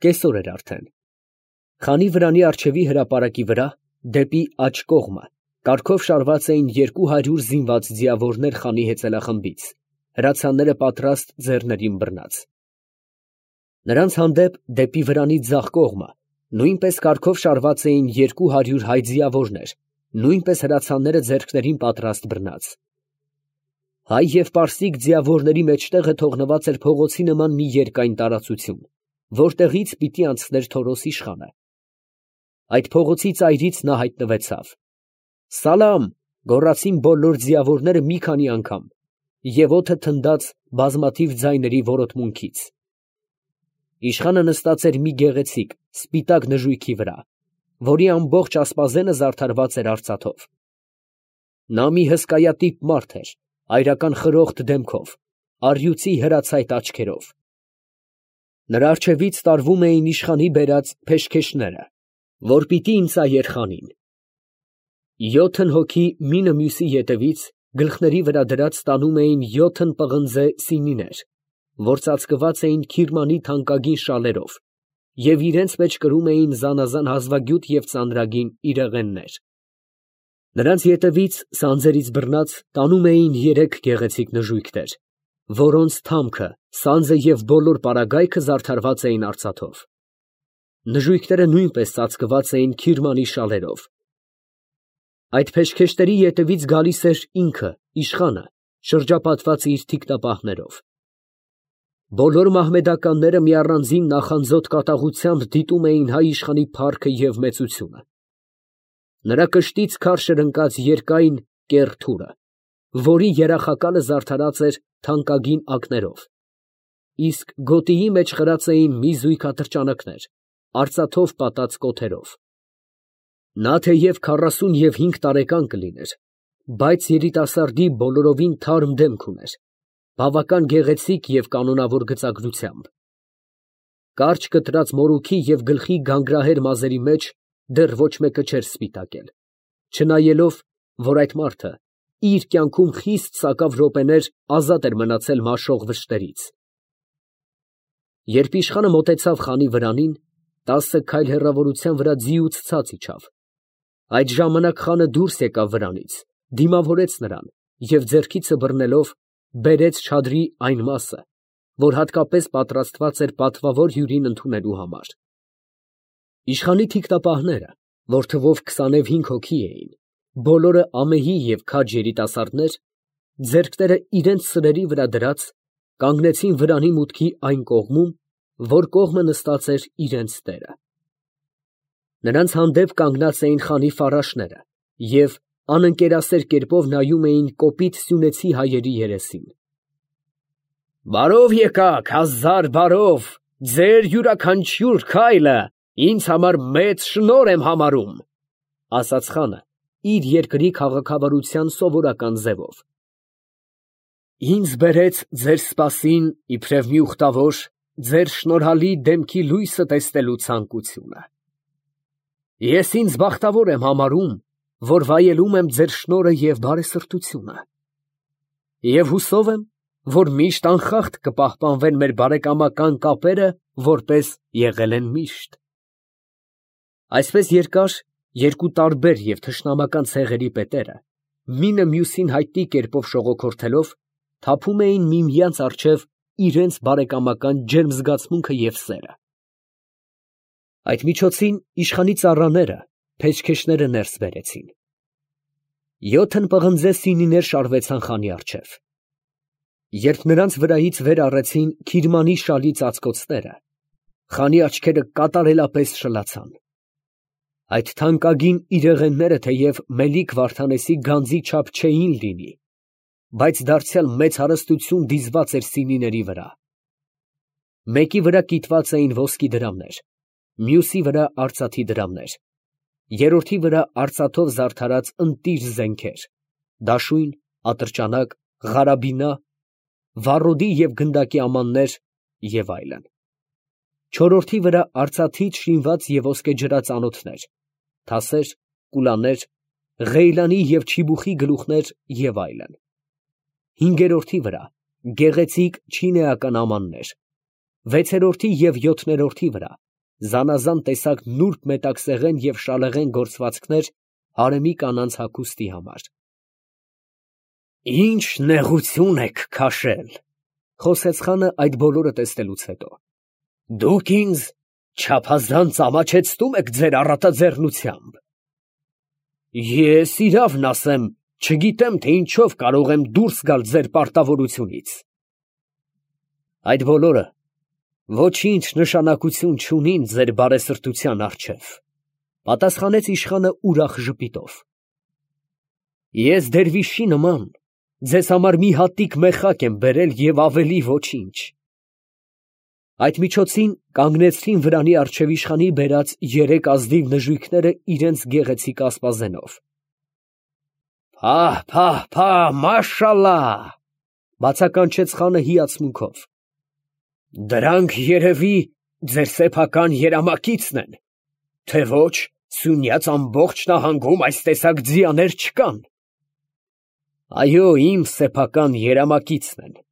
Կեսօր էր արդեն։ Խանի վրանի առջևի հրապարակի վրա, դեպի աջ կողմը, կարգով շարված էին 200 զինված ձիավորներ խանի հեծելախմբից, հրացանները պատրաստ ձեռներին բռնած։ Նրանց հանդեպ դեպի վրանի ձախ կողմը նույնպես կարգով շարված էին 200 հայ ձիավորներ, նույնպես հրացանները ձեռքներին պատրաստ բռնած։ Հայ և պարսիկ ձիավորների մեջտեղը թողնված էր փողոցի նման մի երկայն տարածություն, որտեղից պիտի անցներ Թորոս իշխանը։ Այդ փողոցի ծայրից նա հայտնվեցավ։ «Սալամ» գոռացին բոլոր ձիավորները մի քանի անգամ, և օդը թնդաց բազմաթիվ ձայների որոտմունքից։ Իշխանը նստած էր մի գեղեցիկ, սպիտակ նժույգի վրա, որի ամբողջ ասպազենը զարդարված էր արծաթով։ Նա մի հսկայատիպ մարդ էր, այրական խրոխտ դեմքով, առյուծի հրացայտ աչքերով։ Նրա առջևից տարվում էին իշխանի բերած փեշքեշները, որ պիտի ինծայեր խանին։ 7 հոգի մինը մյուսի ետևից գլխների վրա դրած տանում էին 7 պղնձե սինիներ, որ ծածկված էին քիրմանի թանկագին շալերով և իրենց մեջ կրում էին զանազան հազվագյուտ և ծանրագին իրեղեններ։ Նրանց ետևից սանձերից բռնած տանում էին 3 գեղեցիկ նժույգներ, որոնց թամքը, սանձը և բոլոր պարագայքը զարդարված էին արծաթով։ Նժույգները նույնպես ծածկված էին քիրմանի շալերով։ Այդ փեշքեշտերի ետևից գալիս էր ինքը, իշխանը, շրջապատված իր թիկնապահներով։ Բոլոր մահմեդականները մի առանձին նախանձոտ կատաղությամբ դիտում էին հայ իշխանի փառքը և մեծությունը։ Նրա կշտից քարշ էր ընկած երկայն կեռ թուրը, որի երախակալը զարդարած էր թանկագին ակներով, իսկ գոտիի մեջ խրած էին մի զույգ ատրճանակներ, արծաթով պատած կոթերով։ Նա թեև 45 տարեկան կլիներ, բայց երիտասարդի բոլորովին թարմ դեմք ուներ, բավական գեղեցիկ և կանոնավոր գծագրությամբ։ Կարճ կտրած մորուքի և գլխի գանգրահեր մազերի մեջ դեռ ոչ մեկը չէր սպիտակել, չնայելով, որ այդ մարդը իր կյանքում խիստ սակավ րոպեներ ազատ էր մնացել մաշող վշտերից։ Երբ իշխանը մոտեցավ խանի վրանին, 10 քայլ հեռավորության վրա ձիուց ցած իջավ։ Այդ ժամանակ խանը դուրս եկավ վրանից, դիմավորեց նրան և ձեռքիցը բռնելով բերեց չադրի այն մասը, որ հատկապես պատրաստված էր պատվավոր հյուրին ընդունելու համար։ Իշխանի թիկնապահները, որ թվով 25 հոգի էին, բոլորը ամեհի և քաջ երիտասարդներ, ձեռքները իրենց սրերի վրա դրած, կանգնեցին վրանի մուտքի այն կողմում, որ կողմը նստած էր իրենց տերը։ Նրանց հանդեպ կանգնած էին խանի ֆարաշները և անընկերասեր կերպով նայում էին կոպիտ սյունեցի հայերի երեսին։ «Բարով եկաք, հազար բարով, ձեր յուրաքանչյուր քայլը ինձ համար մեծ շնորհ եմ համարում», ֊ ասաց խանը իր երկրի քաղաքավարության սովորական ձևով։ «Ինձ բերեց ձեր սպասին իբրև մի ուխտավոր ձեր շնորհալի դեմքի լույսը տեսնելու ցանկությունը։ Ես ինձ բախտավոր եմ համարում, որ վայելում եմ ձեր շնորհը և բարեսրտությունը, և հուսով եմ, որ միշտ անխախտ կպահպանվեն մեր բարեկամական կապերը, որպես եղել են միշտ»։ Այսպես երկար, երկու տարբեր և թշնամական ցեղերի պետերը, մինը մյուսին հայտնի կերպով շողոքորթելով, թափում էին միմյանց առջև իրենց բարեկամական ջերմ զգացմունքը և սերը։ Այդ միջոցին իշխանի ծառաները փեշքեշները ներս բերեցին։ 7 պղնձե սինիներ շարվեցան խանի առջև։ Երբ նրանց վրայից վեր առեցին քիրմանի շալի ծածկոցները, խանի աչքերը կատարելապես շլացան։ Այդ թանկագին իրեղենները թեև Մելիք Վարդանեսի գանձի չափ չէին լինի, բայց դարձյալ մեծ հարստություն դիզված էր սինիների վրա։ Մեկի վրա կիտված էին ոսկի դրամներ, մյուսի վրա արծաթի դրամներ, երրորդի վրա արծաթով զարդարած ընտիր զենքեր, դաշույն, ատրճանակ, ղարաբինա, վառոդի և գնդակի ամաններ և այլն։ Չորրորդի վրա արծաթից շինված և ոսկեջրած անոթներ, թասեր, կուլաներ, ղեյլանի և չիբուխի գլուխներ և այլն։ Հինգերորդի վրա գեղեցիկ չինեական ամաններ, վեցերորդի և յոթներորդի վրա զանազան տեսակ նուրբ մետաքսեղեն և շալեղեն գործվածքներ հարեմի կանանց հագուստի համար։ «Ինչ նեղություն եք քաշել», ֊ խոսեց խանը այդ բոլորը տեսնելուց հետո. «դուք ինձ չափազանց ամաչեցնում եք ձեր առատաձեռնությամբ։ Ես իրավն ասեմ, չգիտեմ, թե ինչով կարող եմ դուրս գալ ձեր պարտավորությունից»։ «Այդ բոլորը ոչինչ նշանակություն չունին ձեր բարեսրտության առջև», ֊ պատասխանեց իշխանը ուրախ ժպիտով։ «Ես դերվիշի նման ձեզ համար մի հատիկ մեխակ եմ բերել և ավելի ոչինչ»։ Այդ միջոցին կանգնեցրին վրանի առջև իշխանի բերած երեք ազնիվ նժույգները իրանց գեղեցիկ ասպազենով։ «Փահ, փահ, փահ, մաշալլահ», ֊ բացականչեց խանը հիացմունքով։ «Դրանք երևի ձեր սեփական երամակիցն են, թե ոչ, Սյունյաց ամբողջ նահանգում այս տեսակ ձիաներ չկան»։ «Այո, իմ սեփական երամակիցն են», ֊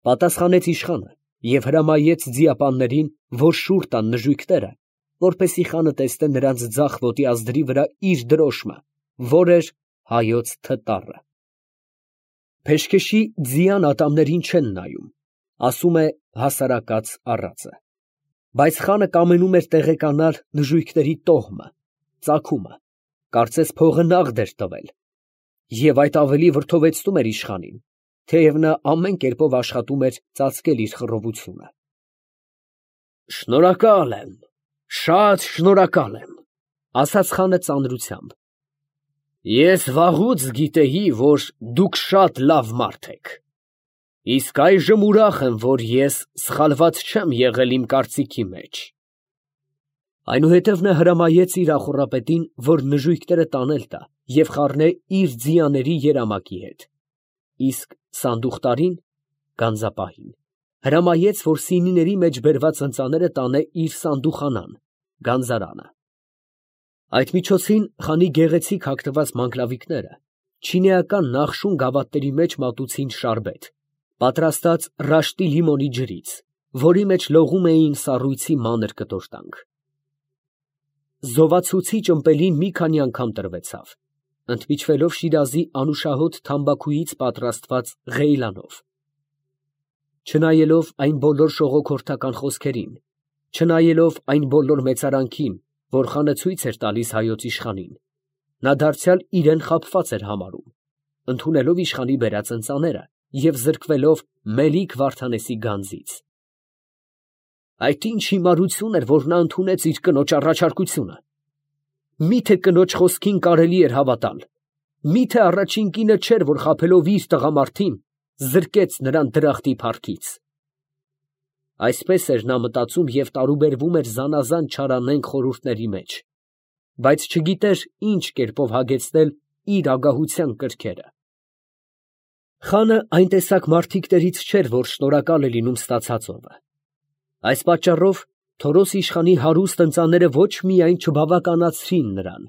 պատասխանեց իշխանը և հրամայեց ձիապաններին, որ շուռ տան նժույգները, որպեսզի խանը տեսնե նրանց ձախ ոտի ազդրի վրա իր դրոշմը, որ էր հայոց թտառը։ Փեշքեշի ձիան ատամներին չեն նայում, ասում է հասարակած առածը, բայց խանը կամենում էր տեղեկանալ նժույգների տոհմը, ծագումը, կարծես փողը նաղդ էր տվել, և այդ ավելի վրդովեցնում էր իշխանին, թեև նա ամեն կերպով աշխատում էր ծածկել իր խռովությունը։ «Շնորհակալ եմ, շատ շնորհակալ եմ», ֊ ասաց խանը ծանրությամբ։ «Ես վաղուց գիտեի, որ դուք շատ լավ մարդ եք, իսկ այժմ ուրախ եմ, որ ես սխալված չեմ եղել իմ կարծիքի մեջ»։ Այնուհետև նա հրամայեց իր ախոռապետին, որ նժույգները տանել տա և խառնե իր ձիաների երամակի հետ, իսկ սանդուղտարին (գանձապահին) հրամայեց, որ սինիների մեջ բերված ընծաները տանե իր սանդուխանան (գանձարանը)։ Այդ միջոցին խանի գեղեցիկ հագնված մանգլավիկները չինեական նախշուն գավաթների մեջ մատուցին շարբեթ, պատրաստած ռաշտի լիմոնի ջրից, որի մեջ լողում էին սառույցի մանր կտորտանք։ Զովացուցիչ ըմպելին մի քանի անգամ տրվեցավ, ընդմիջվելով Շիրազի անուշահոտ թամբաքուից պատրաստված ղեյլանով։ Չնայելով այն բոլոր շողոքորթական խոսքերին, չնայելով այն բոլոր մեծարանքին, որ խանը ցույց էր տալիս հայոց իշխանին, նա դարձյալ իրան խաբված էր համարում, ընդունելով իշխանի բերած ընծաները և զրկվելով Մելիք Վարդանեսի գանձից։ Այդ ինչ հիմարություն էր, որ նա ընդունեց իր կնոջ առաջարկությունը։ Մի՞թե կնոջ խոսքին կարելի էր հավատալ, մի՞թե առաջին կինը չէր, որ խաբելով իր տղամարդին, զրկեց նրան դրախտի փառքից։ Այսպես էր նա մտածում և տարուբերվում էր զանազան չարանենգ խորհուրդների մեջ, բայց չգիտեր ինչ կերպով հագեցնել իր ագահության կրքերը։ Խանը այն տեսակ մարդիկներից չէր, որ շնորհակալ է լինում ստացածովը։ Այս պատճառով Թորոս իշխանի հարուստ ընծաները ոչ միայն չբավականացրին նրան,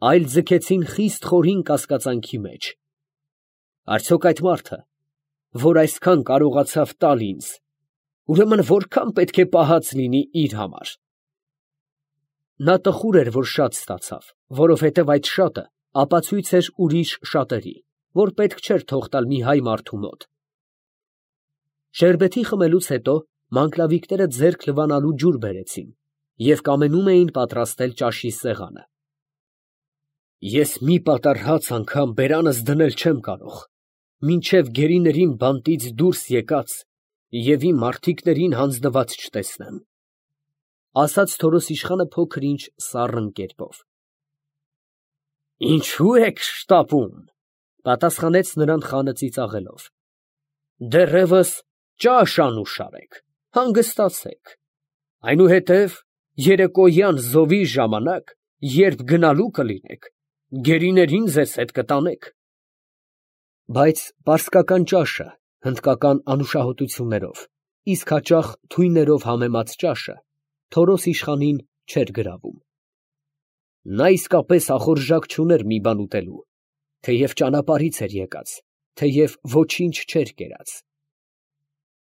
այլ ձգեցին խիստ խորին կասկածանքի մեջ։ Արդյոք այդ մարդը, որ այսքան կարողացավ տալ ինձ, ուրեմն որքան պետք է պահած լինի իր համար։ Նա տխուր էր, որ շատ ստացավ, որովհետև այդ շատը ապացույց էր ուրիշ շատերի, որ պետք չէր թող տալ մի հայ մարդու մոտ։ Շերբեթի խմելուց հետո մանգլավիկները ձեռք լվանալու ջուր բերեցին և կամենում էին պատրաստել ճաշի սեղանը։ Ես մի պատառ հաց անգամ բերանս դնել չեմ կարող, մինչև գերիներին բանտից դուրս եկած և իմ մարդիկներին հանձնված չտեսնեմ, ֊ ասաց Թորոս իշխանը փոքր-ինչ սառն կերպով։ ֊ Ինչո՞ւ եք շտապում, ֊ պատասխանեց նրան խանը ծիծաղելով։ ֊ Դեռևս ճաշ անուշ արեք, հանգստացեք, այնուհետև երեկոյան զովի ժամանակ, երբ գնալու կլինեք, գերիներին ձեզ հետ կտանեք։ Բայց պարսկական ճաշը հնդկական անուշահոտություններով, իսկ հաճախ թույներով համեմած ճաշը Թորոս իշխանին չէր գրավում։ Նա իսկապես ախորժակ չուներ մի բան ուտելու, թեև ճանապարհից էր եկած, թեև ոչինչ չէր կերած։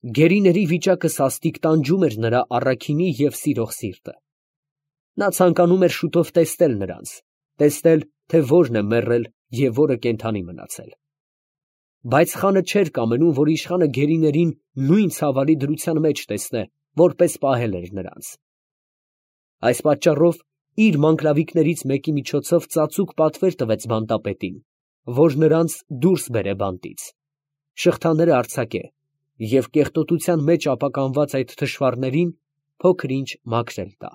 Գերիների վիճակը սաստիկ տանջում էր նրա առաքինի և սիրող սիրտը։ Նա ցանկանում էր շուտով տեսնել նրանց, տեսնել, թե որն է մեռել և որը կենդանի մնացել։ Բայց խանը չէր կամենում, որ իշխանը գերիներին նույն ցավալի դրության մեջ տեսնե, որպես պահել էր նրանց։ Այս պատճառով իր մանկլավիկներից մեկի միջոցով ծածուկ պատվեր տվեց բանտապետին, որ նրանց դուրս բերե բանտից, շղթաները արձակե և կեղտոտության մեջ ապականված այդ թշվառներին փոքր ինչ մաքրել տա։